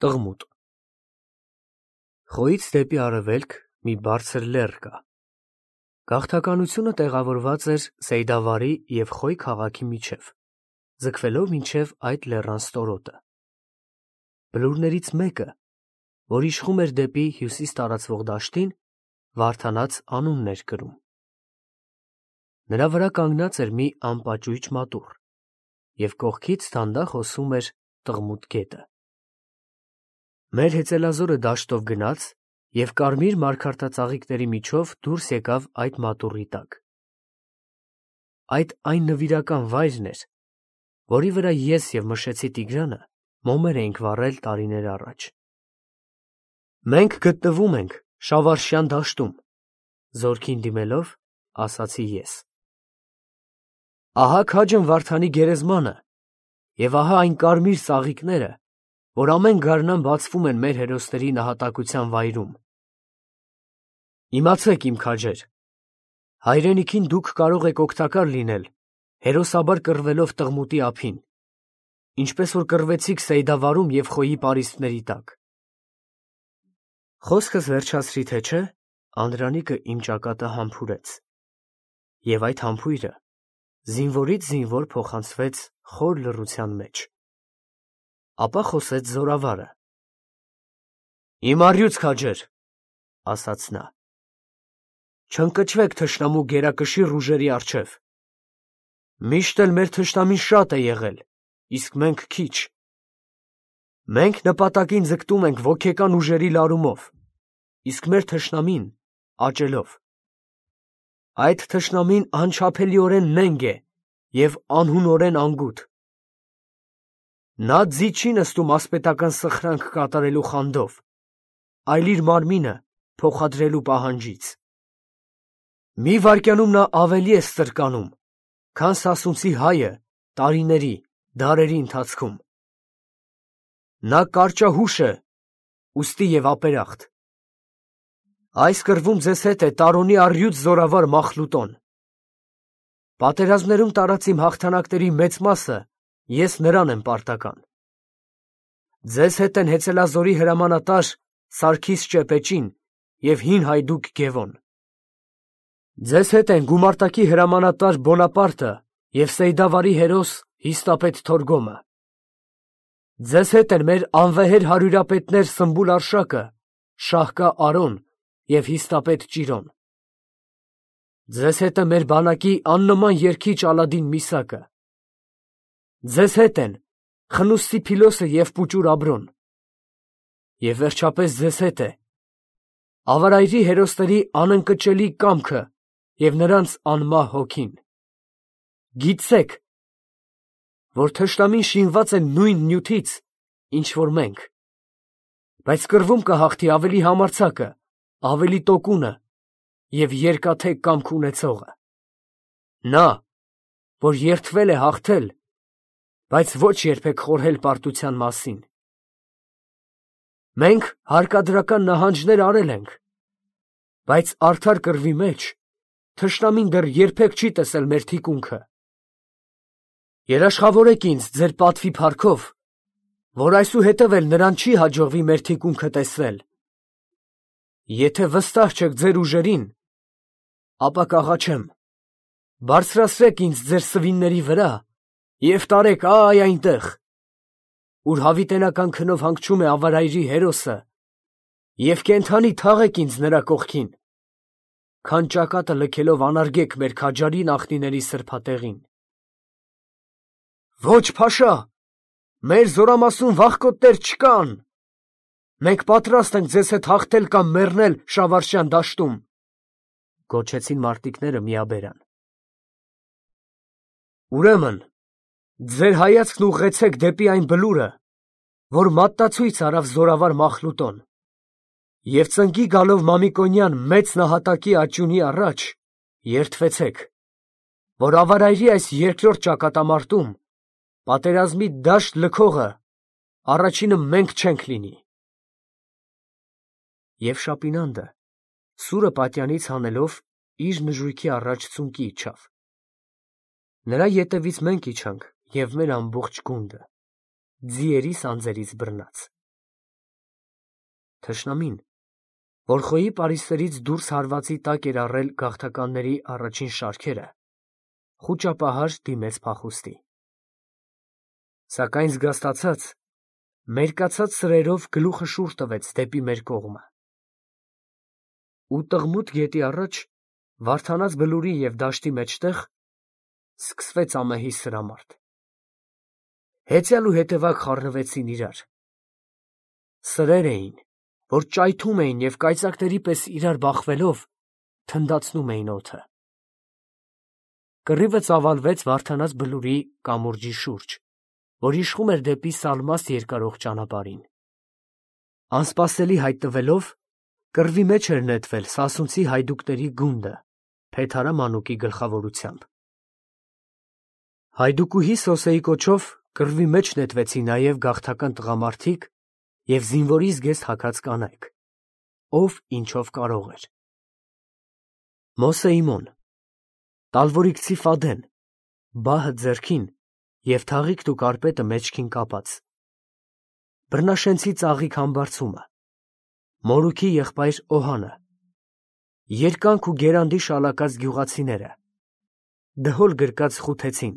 Տղմուտ Խոյից դեպի արևելք մի բարձր լեռ կա։ Գաղթականությունը տեղավորված էր Սեյդավարի և Խոյ քաղաքի միջև, ձգվելով մինչև այդ լեռան ստորոտը։ Բլուրներից մեկը, որ իշխում էր դեպի հյուսիս տարածվող դաշտին, Վարդանաց անունն էր կրում։ Նրա վրա կանգնած էր մի անպաճույճ մատուռ, և կողքից դանդաղ հոսում էր Տղմուտ գետը։ Մեր հեծելազորը դաշտով գնաց և կարմիր մարգարտածաղիկների միջով դուրս եկավ այդ մատուռի տակ։ Այդ այն նվիրական վայրն էր, որի վրա ես և Մշեցի Տիգրանը մոմեր էինք վառել տարիներ առաջ։ Մենք գտնվում ենք Շավարշյան դաշտում, զորքին դիմելով, ասացի ես։ Ահա քաջն Վարդանի գերեզմանը, և ահա այն կարմիր ծաղիկները, որ ամեն գարնան բացվում են մեր հերոսների նահատակության վայրում։ Իմացեք, իմ քաջեր, հայրենիքին դուք կարող եք օգտակար լինել, հերոսաբար կռվելով Տղմուտի ափին, ինչպես որ կռվեցիք Սեյդավարում և Խոյի պարիսպների տակ։ Խոսքս վերջացրի, թե չէ, Անդրանիկը իմ ճակատը համբուրեց, և այդ համբույրը զինվորից զինվոր փոխանցվեց խոր լռության մեջ։ Ապա խոսեց զորավարը. Իմ առյուծ քաջեր, ասաց նա, չընկճվեք թշնամու գերակշիռ ուժերի առջև։ Միշտ էլ մեր թշնամին շատ է եղել, իսկ մենք քիչ։ Մենք նպատակին ձգտում ենք ոգեկան ուժերի լարումով, իսկ մեր թշնամին աճելով։ Այդ թշնամին անչափելիորեն նենգ է և անհունորեն անգութ։ Նա ձի չի նստում ասպետական սխրանք կատարելու խանդով, այլ իր մարմինը փոխադրելու պահանջից։ Մի վայրկյանում նա ավելի է ստրկանում, քան սասունցի հայը տարիների, դարերի ընթացքում։ Նա կարճահուշ է, ուստի և ապերախտ։ Այս կռվում ձեզ հետ է Տարոնի առյուծ զորավար Մախլուտոն։ Պատերազմներում տարած իմ հաղթանակների մեծ մասը ես նրան եմ պարտական։ Ձեզ հետ են հեծելազորի հրամանատար Սարգիս Ճեպեճին և հին հայդուկ Գևոն։ Ձեզ հետ են գումարտակի հրամանատար Բոնապարտը և Սեյդավարի հերոս հիստապետ Թորգոմը։ Ձեզ հետ են մեր անվեհեր հարյուրապետներ Սմբուլ Արշակը, Շահկա Արոն և հիստապետ Ճիրոն։ Ձեզ հետ է մեր բանակի աննման երգիչ Ալադին Միսակը։ Ձեզ հետ են Խնուստի Փիլոսը և Պուճուր Աբրոն։ Եվ վերջապես ձեզ հետ է ավարայրի հերոսների անընկճելի կամքը և նրանց անմահ հոգին։ Գիտցեք, որ թշնամին շինված է նույն նյութից, ինչ որ մենք, բայց կռվում կհաղթի ավելի համարձակը, ավելի տոկունը և երկաթե կամք ունեցողը։ Նա, որ երդվել է հաղթել, բայց ոչ երբեք խորհել պարտության մասին։ Մենք հարկադրական նահանջներ արել ենք, բայց արդար կռվի մեջ թշնամին դեռ երբեք չի տեսել մեր թիկունքը։ Երաշխավորեք ինձ ձեր պատվի փառքով, որ այսուհետև էլ նրան չի հաջողվի մեր թիկունքը տեսնել։ Եթե վստահ չեք ձեր ուժերին, ապա կաղաչեմ, բարձրացրեք ինձ ձեր սվինների վրա և տարեք այ այնտեղ, ուր հավիտենական քնով հանգչում է ավարայրի հերոսը, և կենդանի թաղեք ինձ նրա կողքին, քան ճակատը լքելով անարգեք մեր քաջարի նախնիների սրբատեղին։ Ոչ, փաշա, մեր զորամասում վախկոտներ չկան։ Մենք պատրաստ ենք ձեզ հետ հաղթել կամ մեռնել Շավարշյան դաշտում, գոչեցին մարտիկները միաբերան։ Ուրեմն, ձեր հայացքն ուղղեցեք դեպի այն բլուրը, որ մատնացույց արավ զորավար Մախլուտոն, և ծնկի գալով Մամիկոնյան մեծ նահատակի աճյունի առաջ, երդվեցեք, որ ավարայրի այս երկրորդ ճակատամարտում պատերազմի դաշտ լքողը առաջինը մենք չենք լինի։ Եվ Շապինանդը, սուրը պատյանից հանելով, իր նժույգի առաջ ծունկի իջավ։ Նրա ետևից մենք իջանք և մեր ամբողջ գունդը, ձիերի սանձերից բռնած։ թշնամին, որ խոյի պարիսներից դուրս հարվածի տակ էր առել գաղթականների առաջին շարքերը, խուճապահար դիմեց փախուստի։ Սակայն զգաստացած, մերկացած սրերով գլուխը շուռ տվեց դեպի մեր կողմը։ Ու Տղմուտ գետի առաջ, Վարդանաց բլուրի և դաշտի մեջտեղ, սկսվեց ամեհի սրամարտ։ Հեծյալ ու հետևակ խառնվեցին իրար։ Սրեր էին, որ ճայթում էին և կայծակների պես իրար բախվելով, թնդացնում էին օդը։ Կռիվը ծավալվեց Վարդանաց բլուրի կամուրջի շուրջ, որ իշխում էր դեպի Սալմաստ երկարող ճանապարհին։ Անսպասելի հայտնվելով, կռվի մեջ էր նետվել սասունցի հայդուկների գունդը, Փեթարա մանուկի գլխավորությամբ։ Հայդուկուհի Սոսեի կոչով կռվի մեջ նետվեցին նաև գաղթական տղամարդիկ և զինվորի զգեստ հագած կանայք, ով ինչով կարող էր։ Մոսեիմոն, տալվորիկցի Ֆադեն, բահը ձեռքին և թաղիքն ու կարպետը մեջքին կապած, բռնաշենցի ծաղիկ Համբարձումը, Մորուքի եղբայր Օհանը, երկանք ու գերանդի շալակած գյուղացիները, դհոլ գրկած Խութեցին,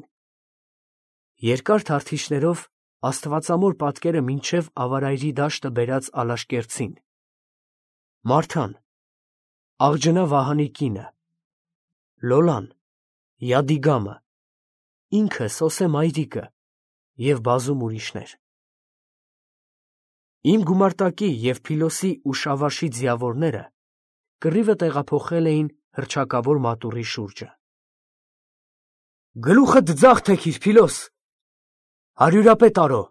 երկար թարթիչներով աստվածամոր պատկերը մինչև ավարայրի դաշտը բերած Ալաշկերտցին, Մարթան, աղջնա Վահանի կինը, Լոլան, Յադիգամը, ինքը Սոսե մայրիկը և բազում ուրիշներ։ Իմ գումարտակի և Փիլոսի ու Շավաշի ձիավորները կռիվը տեղափոխել էին հռչակավոր մատուռի շուրջը։ Գլուխդ ձախ թեքիր, Փիլոս, հարյուրապետ Արո,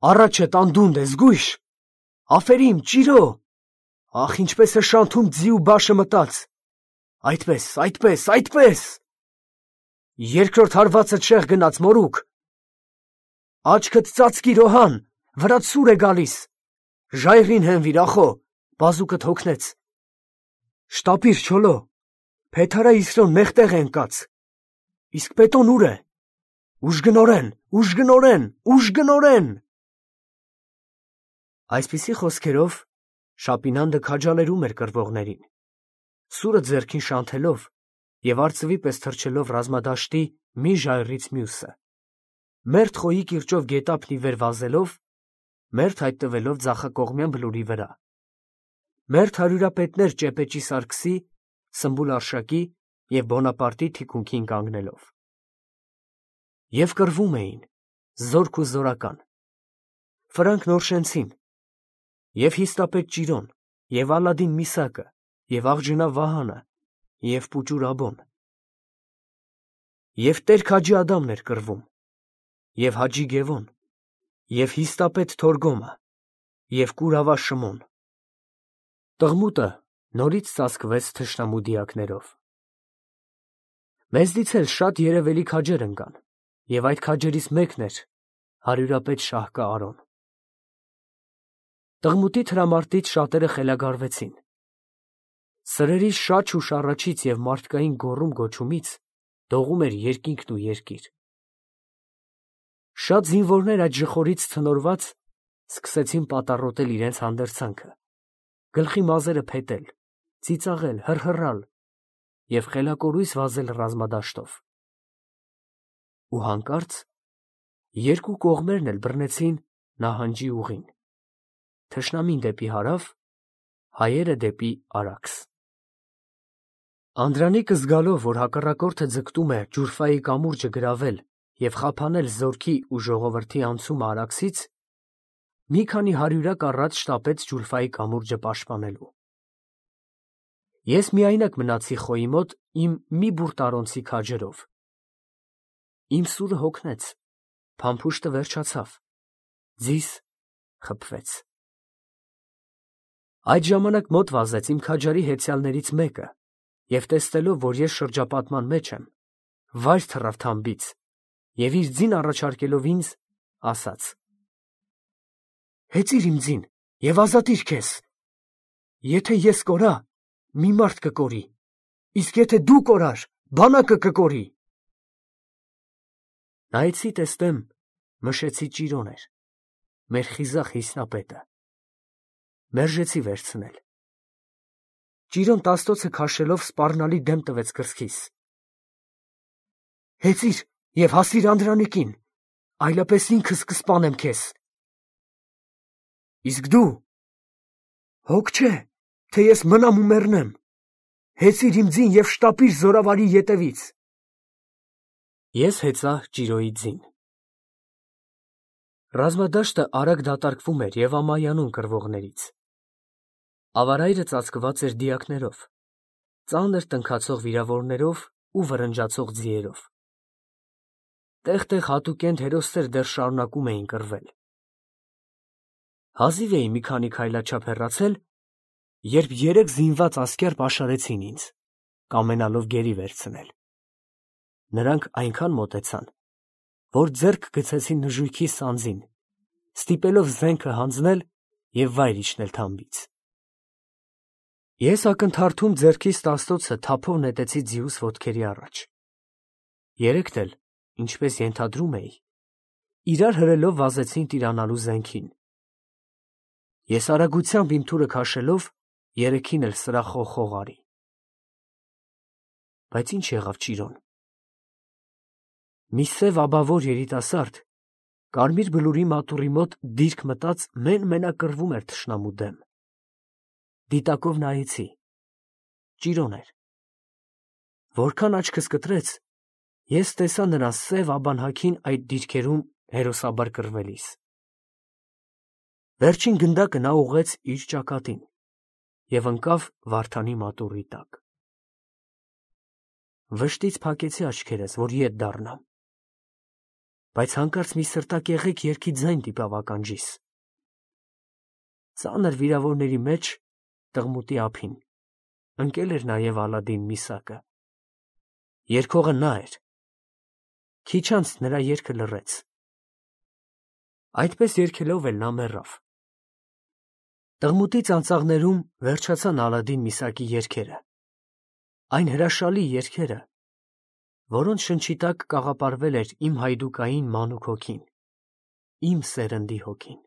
առաջդ անդունդը, զգույշ, աֆերիմ, ճիրո, ախ, ինչպես է շանթում ձի ու բաշը մտած, այդպես, երկրորդ հարվածդ շեղ գնաց, Մորուք, աչքդ ծածկիր, Օհան, վրաց սուր է գալիս, ժայռին հենվիր, ախո, բազուկդ հոգնեց, շտապիր, Չոլո, Փեթարա Իսրոն մեղտեղ է ընկած, իսկ Պետոն ուր է, ուժգնորեն։ Այսպիսի խոսքերով Շապինանդը քաջալերում էր կռվողներին, սուրը ձեռքին շանթելով և արծվի պես թռչելով ռազմադաշտի մի ժայռից մյուսը, մերթ խոյի կիրճով գետափն ի վեր վազելով, մերթ հայտնվելով ձախակողմյան բլուրի վրա, մերթ հարյուրապետներ Ճեպեճի Սարգսի, Սմբուլ Արշակի և Բոնապարտի թիկունքին կանգնելով։ Եվ կռվում էին, զորք ու զորական, Ֆրանկ Նորշենցին, և Հիստապետ Ճիրոն, և Ալադին Միսակը, և աղջնա Վահանը, և Պուճուր Աբոն, և Տեր Քաջի Ադամն էր կռվում, և Հաջի Գևոն, և Հիստապետ Թորգոմը, և Կուրավա Շմոն։ Տղմուտը նորից ծածկվեց թշնամու դիակներով։ Մեզնից էլ շատ երևելի քաջեր ընկան, և այդ քաջերից մեկն էր հարյուրապետ Շահկա Արոն։ Տղմուտի թրամարտից շատերը խելագարվեցին։ Սրերի շաչ ու շառաչից և մարդկային գոռում֊գոչումից դողում էր երկինքն ու երկիր։ Շատ զինվորներ այդ ժխորից ցնորված սկսեցին պատառոտել իրենց հանդերձանքը, գլխի մազերը փետել, ծիծաղել, հռհռալ և խելակորույս վազել ռազմադաշտով։ Ու հանկարծ երկու կողմերն էլ բռնեցին նահանջի ուղին, թշնամին դեպի հարավ, հայերը դեպի Արաքս։ Անդրանիկը զգալով, որ հակառակորդը ձգտում է Ջուրֆայի կամուրջը գրավել և խափանել զորքի ու ժողովրդի անցումը Արաքսից, մի քանի հարյուրակ առաջ շտապեց Ջուլֆայի կամուրջը պաշտպանելու։ Ես միայնակ մնացի խոյի մոտ իմ մի բուռ տարոնցի քաջերով։ Իմ սուրը հոգնեց, փամփուշտը վերջացավ, ձիս խփվեց։ Այդ ժամանակ մոտ վազեց իմ քաջարի հեծյալներից մեկը և տեսնելով, որ ես շրջապատման մեջ եմ, վայր թռավ թամբից և իր ձին առաջարկելով ինձ, ասաց. «Հեծիր իմ ձին և ազատիր քեզ. եթե ես կորա, մի մարդ կկորի, իսկ եթե դու կորար, բանակը կկորի»։ Նայեցի տեսնեմ, մշեցի Ճիրոն էր, մեր խիզախ Հիսնապետը։ մերժեցի վերցնել։ Ճիրոն տաստոցը քաշելով սպառնալի դեմ տվեց կրծքիս։ Հեծիր և հասիր Անդրանիկին, այլապես ինքս կսպանեմ քեզ։ Իսկ դու։ Հոգ չէ, թե ես մնամ ու մեռնեմ։ Հեծիր իմ ձին և շտապիր զորավարի ետևից։ Ես հեծա Ճիրոյի ձին։ Ռազմադաշտը արագ դատարկվում էր և ամայանում կռվողներից։ Ավարայրը ծածկված էր դիակներով, ծանր տնքացող վիրավորներով ու վռնջացող ձիերով։ Տեղ-տեղ հատուկենտ հերոսներ դեռ շարունակում էին կռվել։ Հազիվ էի մի քանի քայլաչափ հեռացել, երբ 3 զինված ասկեր պաշարեցին ինձ, կամենալով գերի վերցնել։ Նրանք այնքան մոտեցան, որ ձեռք գցեցին նժույգի սանձին, ստիպելով զենքը հանձնել և վայր իջնել թամբից։ Ես ակնթարթում ձեռքիս տաստոցը թափով նետեցի ձիուս ոտքերի առաջ։ Երեքդ էլ, ինչպես ենթադրում էի, իրար հրելով վազեցին տիրանալու զենքին։ Ես արագությամբ իմ թուրը քաշելով երեքին էլ սրախոխող արի։ Բայց ինչ եղավ Ճիրոն։ Մի սև աբավոր երիտասարդ կարմիր բլուրի մատուռի մոտ դիրք մտած մեն-մենակ կռվում էր թշնամու դեմ։ Դիտակով նայեցի։ Ճիրոն էր։ Որքան աչքս կտրեց, ես տեսա նրա սև աբանհագին այդ դիրքերում հերոսաբար կռվելիս։ Վերջին գնդակը նա ուղղեց իր ճակատին և ընկավ Վարդանի մատուռի տակ։ Վշտից փակեցի աչքերս, որ ետ դառնամ, բայց հանկարծ մի սրտակեղեք երգի ձայն դիպավ ականջիս։ Ծանր վիրավորների մեջ, տղմուտի ափին, ընկել էր նաև Ալադին միսակը։ Երգողը նա էր։ Քիչ անց նրա երգը լռեց։ Այդպես երգելով էլ նա մեռավ։ Տղմուտի ծանծաղներում վերջացան Ալադին միսակի երգերը, այն հրաշալի երգերը, որոնց շնչի տակ կաղապարվել էր իմ հայդուկային մանուկ հոգին, իմ սերնդի հոգին։